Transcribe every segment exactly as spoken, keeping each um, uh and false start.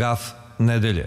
Gaf nedelje.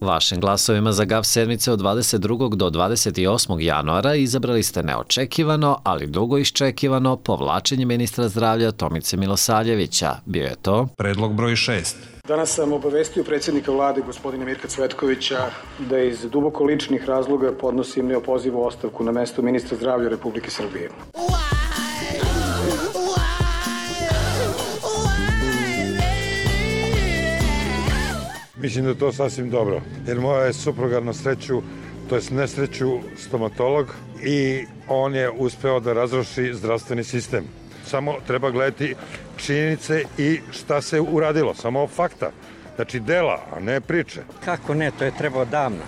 Vašim glasovima za Gaf sedmice od dvadeset drugog do dvadeset osmog januara izabrali ste neočekivano, ali dugo iščekivano povlačenje ministra zdravlja Tomice Milosavljevića. Bio je to predlog broj šest. Danas sam obavestio predsjednika vlade, gospodina Mirka Cvetkovića, da iz duboko ličnih razloga podnosim neopozivu ostavku na mesto ministra zdravlja Republike Srbije. Mislim da je to sasvim dobro, jer moja je supruga na sreću, to je nesreću, stomatolog i on je uspeo da razruši zdravstveni sistem. Samo treba gledati činjenice i šta se uradilo, samo fakta. Znači dela, a ne priče. Kako ne, to je trebao davno.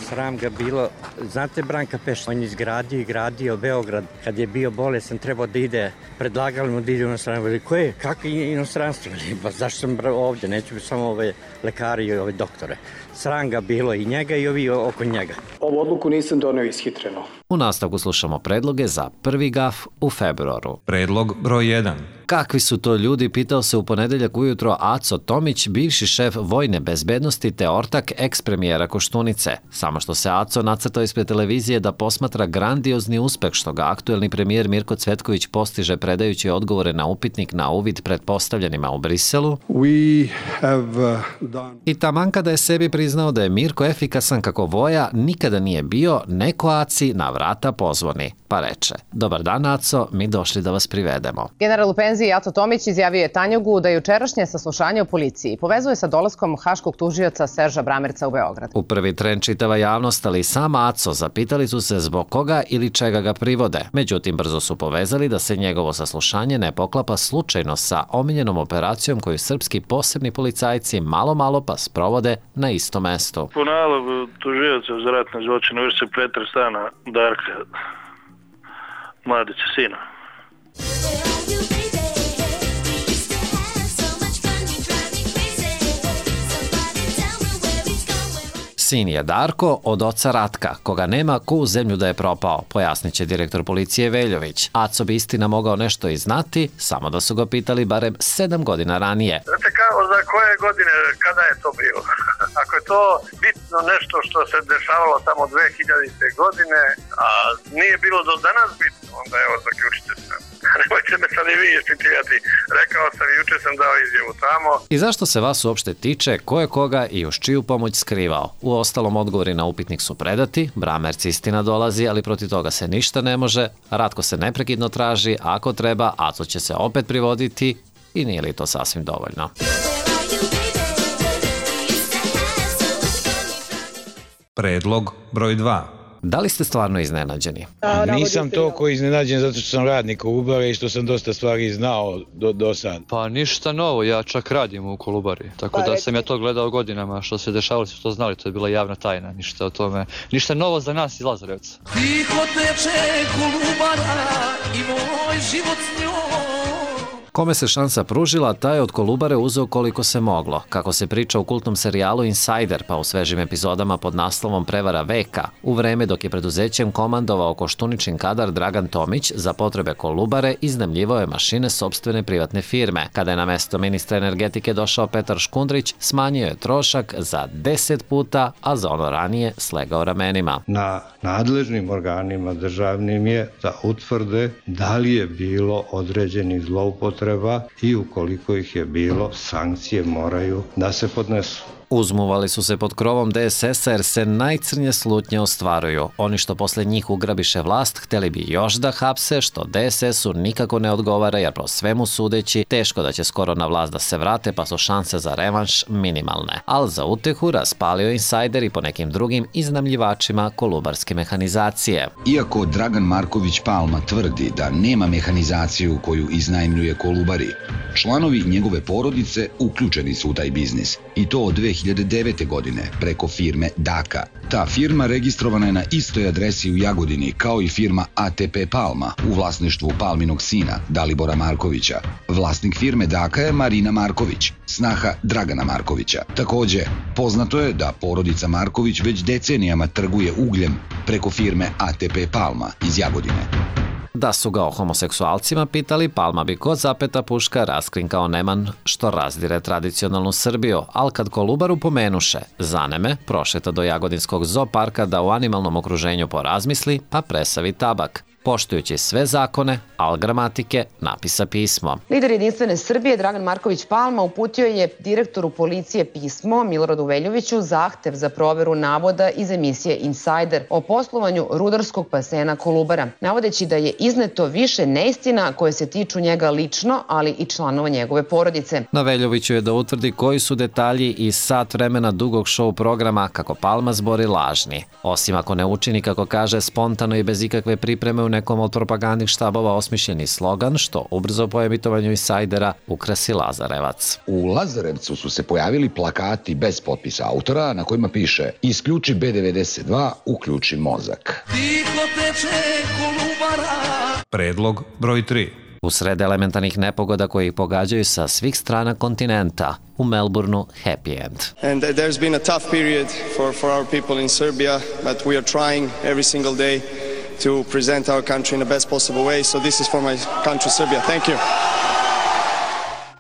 Sram ga bilo. Znate Branka Peš, on je izgradio i gradio Beograd. Kad je bio bolesan, trebao da ide, predlagali mu da ide u inostranstvo. Veli, ko je? Kako je inostranstvo? Veli, ba zašto sam ovdje? Neću biti samo ove lekari i ove doktore. Sram ga bilo i njega i ovi oko njega. Ovu odluku nisam doneo ishitreno. U nastavku slušamo predloge za prvi Gaf u februaru. Predlog broj jedan. Kakvi su to ljudi, pitao se u ponedeljak ujutro Aco Tomić, bivši šef vojne bezbednosti te ortak eks-premijera Koštunice. Samo što se Aco nacrtao ispred televizije da posmatra grandiozni uspeh što ga aktuelni premijer Mirko Cvetković postiže predajući odgovore na upitnik na uvid pretpostavljenima u Briselu. We have done... I taman kada je sebi priznao da je Mirko efikasan kako voja nikada nije bio, neko Aci na vrata pozvoni. Pa reče, dobar dan Aco, mi došli da vas privedemo. General u penziji Aco Tomić izjavio je Tanjugu da jučerašnje saslušanje u policiji povezuje sa dolaskom haškog tužioca Serža Bramerca u Beograd. U prvi tren čitava javnost, ali i sam Aco zapitali su se zbog koga ili čega ga privode. Međutim, brzo su povezali da se njegovo saslušanje ne poklapa slučajno sa omiljenom operacijom koju srpski posebni policajci malo malo pa sprovode na istom mestu. Po nalogu tužioca za ratne zločine vrši se pretres stana Darka Mladića sina. Sin je Darko od oca Ratka, koga nema ko u zemlju da je propao, pojasnit će direktor policije Veljović. Aco bi istina mogao nešto i znati, samo da su ga pitali barem sedam godina ranije. Znate kao za koje godine, kada je to bilo? Ako je to bitno nešto što se dešavalo tamo dve hiljadite godine, a nije bilo do danas bitno, onda evo zaključite se. Nemojte me sad i vi ispitivati. Rekao sam i juče sam dao izjavu tamo. I zašto se vas uopšte tiče ko je koga i uz čiju pomoć skrivao? U ostalom odgovori na upitnik su predati, Bramerc istina dolazi, ali protiv toga se ništa ne može, Ratko se neprekidno traži, ako treba, Aco će se opet privoditi i nije li to sasvim dovoljno? Predlog broj dva. Da li ste stvarno iznenađeni? Nisam toliko iznenađen zato što sam radnik Kolubare i što sam dosta stvari znao do, do sad. Pa ništa novo, ja čak radim u Kolubari, tako da sam ja to gledao godinama, što se dešavalo, što to znali, to je bila javna tajna, ništa o tome, ništa novo za nas iz Lazarevca. Tiho teče Kolubara i moj život s njom. Kome se šansa pružila, taj je od Kolubare uzeo koliko se moglo. Kako se priča u kultnom serijalu Insider, pa u svežim epizodama pod naslovom Prevara veka, u vreme dok je preduzećem komandovao Koštuničin kadar Dragan Tomić, za potrebe Kolubare iznajmljivao je mašine sopstvene privatne firme. Kada je na mesto ministra energetike došao Petar Škundrić, smanjio je trošak za deset puta, a za ono ranije slegao ramenima. Na nadležnim organima državnim je da utvrde da li je bilo određenih zloupotreba i ukoliko ih je bilo, sankcije moraju da se podnesu. Uzmuvali su se pod krovom de es es a jer se najcrnje slutnje ostvaruju. Oni što posle njih ugrabiše vlast hteli bi još da hapse, što de es es u nikako ne odgovara jer po svemu sudeći teško da će skoro na vlast da se vrate pa su šanse za revanš minimalne. Al za utehu raspalio Insider i po nekim drugim iznajmljivačima kolubarske mehanizacije. Iako Dragan Marković Palma tvrdi da nema mehanizaciju koju iznajmljuje Kolubari, članovi njegove porodice uključeni su u taj biznis i to od dve hiljade devete. godine preko firme Daka. Ta firma registrovana je na istoj adresi u Jagodini kao i firma A T P Palma u vlasništvu Palminog sina Dalibora Markovića. Vlasnik firme Daka je Marina Marković, snaha Dragana Markovića. Takođe, poznato je da porodica Marković već decenijama trguje ugljem preko firme A T P Palma iz Jagodine. Da su ga o homoseksualcima pitali, Palma bi kod zapeta puška raskrinkao neman što razdire tradicionalnu Srbiju, ali kad Kolubaru pomenuše, zaneme, prošeta do Jagodinskog zooparka da u animalnom okruženju porazmisli, pa presavi tabak. Poštujući sve zakone, al gramatike, napisa pismo. Lider Jedinstvene Srbije Dragan Marković Palma uputio je direktoru policije pismo Miloradu Veljoviću zahtev za proveru navoda iz emisije Insider o poslovanju rudarskog basena Kolubara, navodeći da je izneto više neistina koje se tiču njega lično, ali i članova njegove porodice. Na Veljoviću je da utvrdi koji su detalji iz sat vremena dugog show programa kako Palma zbori lažni. Osim ako ne učini, kako kaže, spontano i bez ikakve pripreme u nekom od propagandnih štabova osmišljeni slogan, što ubrzo po emitovanju Insajdera ukrasi Lazarevac. U Lazarevcu su se pojavili plakati bez potpisa autora na kojima piše "Isključi B devedeset dva, uključi mozak". Predlog broj tri. U sred elementarnih nepogoda koje ih pogađaju sa svih strana kontinenta, u Melbourneu happy end. And there's been a tough period for, for our people in Serbia, but we are trying every single day to present our country in the best possible way. So this is for my country, Serbia. Thank you.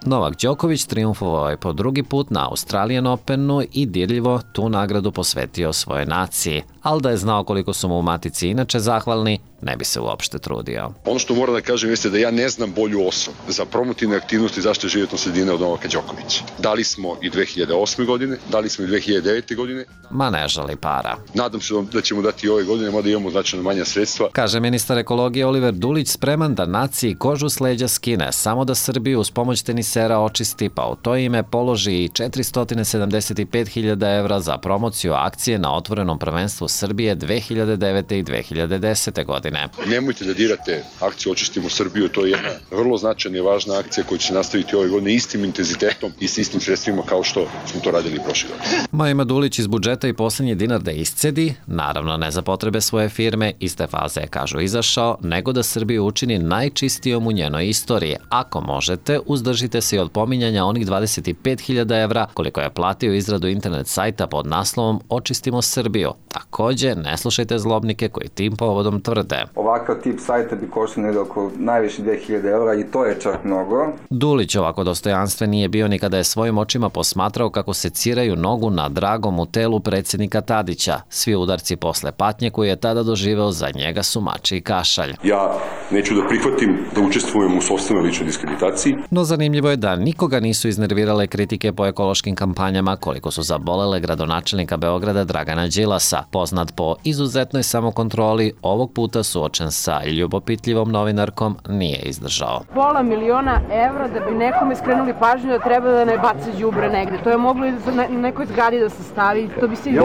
Novak Đoković triumfovao je po drugi put na Australian Openu i dirljivo tu nagradu posvetio svojoj naciji, ali da je znao koliko su mu u matici inače zahvalni, ne bi se uopšte trudio. Ono što moram da kažem jeste da ja ne znam bolju osobu za promotivne aktivnosti zaštite životne sredine od Novaka Đokovića. Dali smo i dve hiljade osme. godine, dali smo i dve hiljade devete. godine. Ma ne žali para. Nadam se da ćemo dati i ove godine, mada imamo značajno manja sredstva. Kaže ministar ekologije Oliver Dulić, spreman da naciji kožu s leđa skine, samo da Srbiju uz pomoć tenisera očisti, pa u to ime položi i četiristo sedamdeset pet hiljada evra za promociju akcije na otvorenom prvenstvu Srbije dve hiljade devete. i dve hiljade desete. godine. Nemojte da dirate akciju Očistimo Srbiju, to je jedna vrlo značajna i važna akcija koja će se nastaviti ove godine istim intenzitetom i s istim sredstvima kao što smo to radili prošle godine. Maja Dulić iz budžeta i poslednji dinar da iscedi, naravno ne za potrebe svoje firme, iz te faze je, kažu, izašao, nego da Srbiju učini najčistijom u njenoj istoriji. Ako možete, uzdržite se i od pominjanja onih dvadeset pet hiljada evra koliko je platio izradu internet sajta pod naslovom Očistimo Srbiju. Takođe, ne slušajte zlobnike koji tim povodom tvrde. Ovakav tip sajta bi koštao negde oko najviše dve hiljade evra i to je čak mnogo. Dulić ovako dostojanstven nije bio ni kada je svojim očima posmatrao kako se ciraju nogu na dragom u telu predsjednika Tadića. Svi udarci posle patnje koju je tada doživeo za njega su mači i kašalj. Ja neću da prihvatim da učestvujem u sopstvenoj ličnoj diskreditaciji. No zanimljivo je da nikoga nisu iznervirale kritike po ekološkim kampanjama koliko su zabolele gradonačelnika Beograda Dragana Đilasa. Poznat po izuzetnoj samokontroli, ovog puta suočen sa ljubopitljivom novinarkom nije izdržao. Pola miliona evra da bi nekome skrenuli pažnju da treba da ne baca đubre negde. To je moglo i na nekoj zgradi da se stavi. To bi se i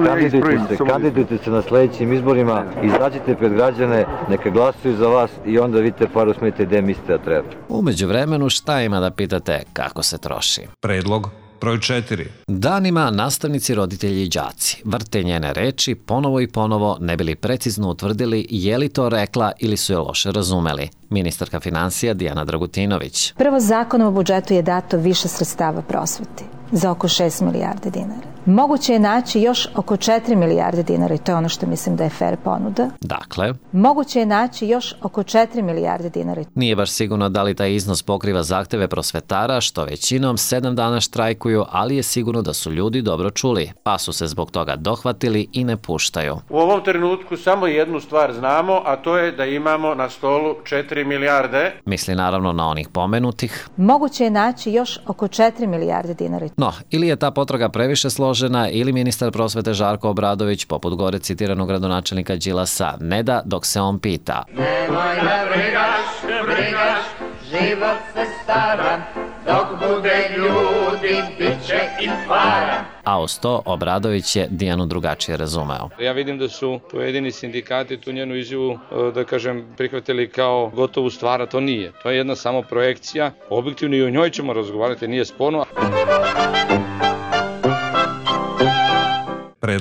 kandidujte se, kandidujte se na sledećim izborima, izađite pred građane, neka glasuju za vas i onda vidite par usmete gde mislite da treba. Umeđu vremenu šta ima da pitate kako se troši? Predlog broj četiri. Danima nastavnici, roditelji i đaci vrte njene reči ponovo i ponovo ne bili precizno utvrdili je li to rekla ili su je loše razumeli. Ministarka finansija Dijana Dragutinović. Prvo, zakonom o budžetu je dato više sredstava prosveti za oko šest milijardi dinara. Moguće je naći još oko četiri milijarde dinara i to je ono što mislim da je fair ponuda. Dakle? Moguće je naći još oko četiri milijarde dinara. Nije baš sigurno da li taj iznos pokriva zahteve prosvetara, što većinom sedam dana štrajkuju, ali je sigurno da su ljudi dobro čuli, pa su se zbog toga dohvatili i ne puštaju. U ovom trenutku samo jednu stvar znamo, a to je da imamo na stolu četiri milijarde. Misli naravno na onih pomenutih. Moguće je naći još oko četiri milijarde dinara. No, ili je ta potraga previše složena, ili ministar prosvete Žarko Obradović, poput gore citiranog gradonačelnika Đilasa, ne da dok se on pita. Nemoj da brigaš, brigaš, život se stara, dok bude ljudi, bit će i para. A uz to Obradović je Dijanu drugačije razumeo. Ja vidim da su pojedini sindikati tu njenu izjavu, da kažem, prihvatili kao gotovu stvar, a to nije. To je jedna samo projekcija, objektivno i o njoj ćemo razgovarati, nije sporno.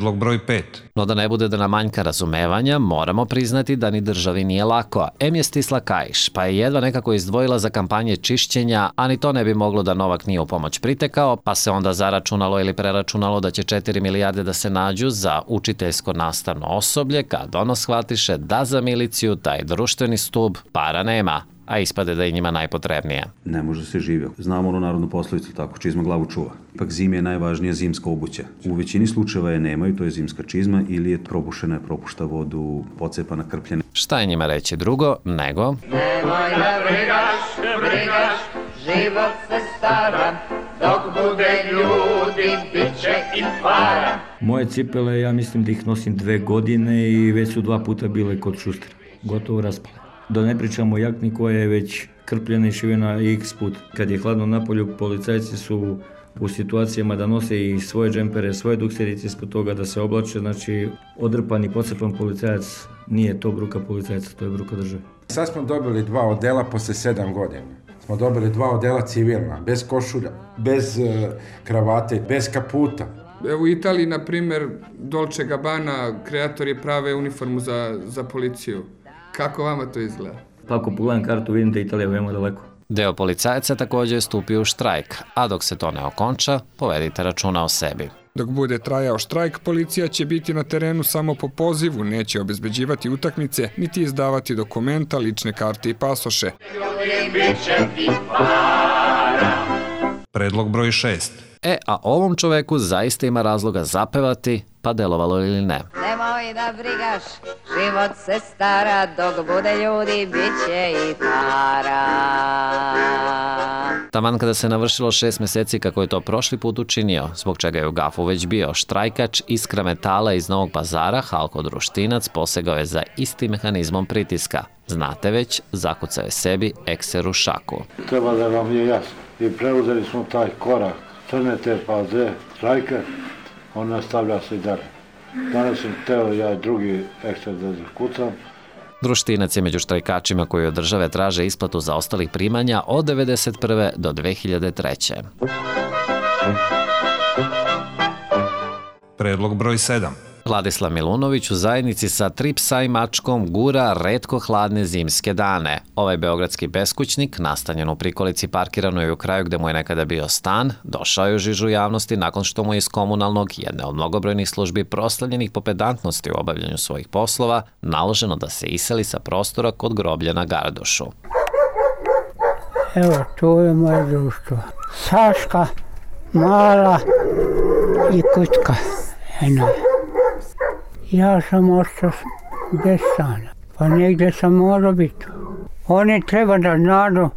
Predlog broj pet. No da ne bude da nam manjka razumevanja, moramo priznati da ni državi nije lako. Em je stisla kaiš, pa je jedva nekako izdvojila za kampanje čišćenja, a ni to ne bi moglo da Novak nije u pomoć pritekao, pa se onda zaračunalo ili preračunalo da će četiri milijarde da se nađu za učiteljsko nastavno osoblje, kad ono shvatiše da za miliciju taj društveni stub para nema, a ispade da je njima najpotrebnije. Ne može se živjeti. Znamo onu narodnu poslovicu, tako, čizma glavu čuva. Ipak zimi je najvažnija zimska obuća. U većini slučajeva je nemaju, to je zimska čizma, ili je probušena, propušta vodu, pocepana, krpljena. Šta je njima reći drugo, nego... Nemoj da brigaš, brigaš, život se stara, dok bude ljudi, bit će i para. Moje cipele, ja mislim da ih nosim dve godine i već su dva puta bile kod šustera. Gotovo raspale. Da ne pričamo o jakni koja je već krpljena i šivena x put. Kad je hladno na polju, policajci su u situacijama da nose i svoje džempere, svoje dukserice ispod toga, da se oblače. Znači, odrpan i pocepan policajac nije to bruka policajca, to je bruka države. Sad smo dobili dva odela posle sedam godina. Smo dobili dva odela civilna, bez košulja, bez uh, kravate, bez kaputa. U Italiji, na primjer, Dolce Gabbana, kreatori prave uniformu za, za policiju. Kako vama to izgleda? Pa ako pogledam kartu, vidim da je Italija veoma daleko. Deo policajaca također je stupio u štrajk, a dok se to ne okonča, povedite računa o sebi. Dok bude trajao štrajk, policija će biti na terenu samo po pozivu, neće obezbeđivati utakmice, niti izdavati dokumenta, lične karte i pasoše. Predlog broj šest. E, a ovom čoveku zaista ima razloga zapevati, pa delovalo ili ne. Nemoj da brigaš, život se stara, dok bude ljudi, bit će i para. Taman kada se navršilo šest meseci kako je to prošli put učinio, zbog čega je u gafu već bio štrajkač Iskra metala iz Novog Pazara, Halko Društinac, posegao je za istim mehanizmom pritiska. Znate već, zakucao je sebi ekser u šaku. Treba da vam je jasno. I preuzeli smo taj korak crne te paze, štrajke, on nastavlja se i dalje. Danas sam teo ja drugi ekser da zakucam. Društinac je među štrajkačima koji od države traže isplatu za ostalih primanja od devedeset prve do dve hiljade treće. Predlog broj sedam. Vladislav Milunović u zajednici sa tri psa i mačkom gura retko hladne zimske dane. Ovaj beogradski beskućnik, nastanjen u prikolici parkiranoj u kraju gde mu je nekada bio stan, došao je u žižu javnosti nakon što mu je iz komunalnog, jedne od mnogobrojnih službi proslavljenih po pedantnosti u obavljanju svojih poslova, naloženo da se iseli sa prostora kod groblja na Gardušu. Evo, to je moje društvo. Saška, Mala i Kutka. Eno je. Ja sam ostao bez stana, pa negdje sam morao biti. Oni treba da znaju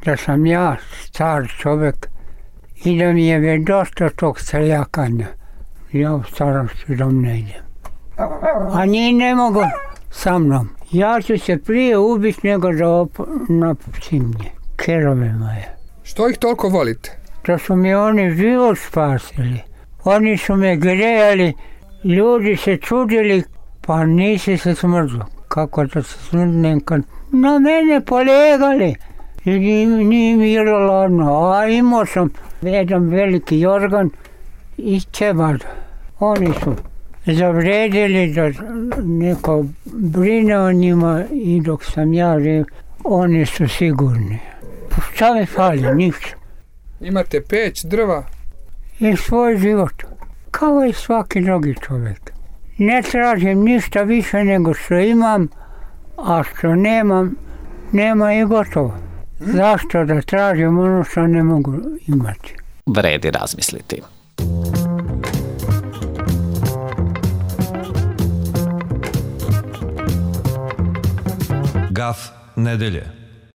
da sam ja star čovjek i da mi je već dosta tog seljakanja. Ja u starosti dom ne idem. A njih ne mogu sa mnom. Ja ću se prije ubiti nego da napustim nje. Kerove moje. Što ih toliko volite? To su mi oni život spasili. Oni su me grejali. Ljudi se čudili, pa nisi se smrzao. Kako da se smrznem kad na mene polegali. I nije mi bilo ladno. A imao sam jedan veliki jorgan i ćebad. Oni su zavredili da neko brine o njima i dok sam ja živ, oni su sigurni. Šta mi fali? Ništa. Imate peć, drva? I svoj život. Kao i svaki drugi čovjek. Ne tražim ništa više nego što imam, a što nemam, nema i gotovo. Zašto da tražim ono što ne mogu imati? Vredi razmisliti. Gaf nedelje.